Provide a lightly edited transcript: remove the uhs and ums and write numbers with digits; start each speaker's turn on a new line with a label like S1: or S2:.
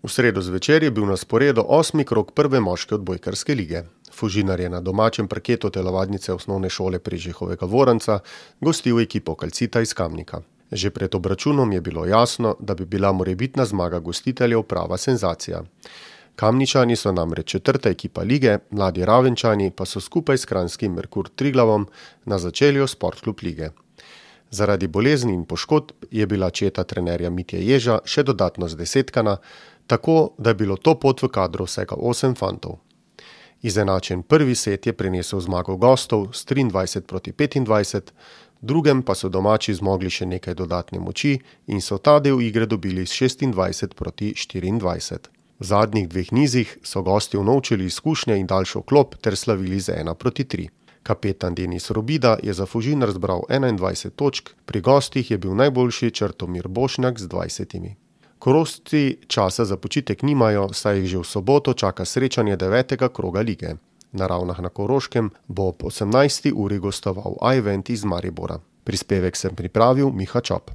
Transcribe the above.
S1: V sredo zvečer je bil na sporedu 8. krog prve moške odbojkarske lige. Fužinar je na domačem parketu telovadnice osnovne šole Prežehovega Voranca gostil ekipo Calcita iz Kamnika. Že pred obračunom je bilo jasno, da bi bila morebitna zmaga gostiteljev prava senzacija. Kamničani so namreč četrta ekipa lige, mladi Ravenčani pa so skupaj s kranjskim Merkur Triglavom na začelju Sportklub lige. Zaradi bolezni in poškodb je bila četa trenerja Mitje Ježa še dodatno zdesetkana, tako da je bilo to pot v kadru vsega 8 fantov. Izenačen prvi set je prinesel zmago gostov s 23-25, drugem pa so domači zmogli še nekaj dodatne moči in so ta del igre dobili s 26-24. V zadnjih dveh nizih so gosti unovčili izkušnje in daljšo klop ter slavili z 1-3. Kapetan Denis Robida je za Fužinar zbral 21 točk, pri gostih je bil najboljši Črtomir Bošnjak z 20. Korošci časa za počitek nimajo, saj jih že v soboto čaka srečanje 9. kroga lige. Na Ravnah na Koroškem bo ob 18. uri gostoval Ajvent iz Maribora. Prispevek sem pripravil Miha Čop.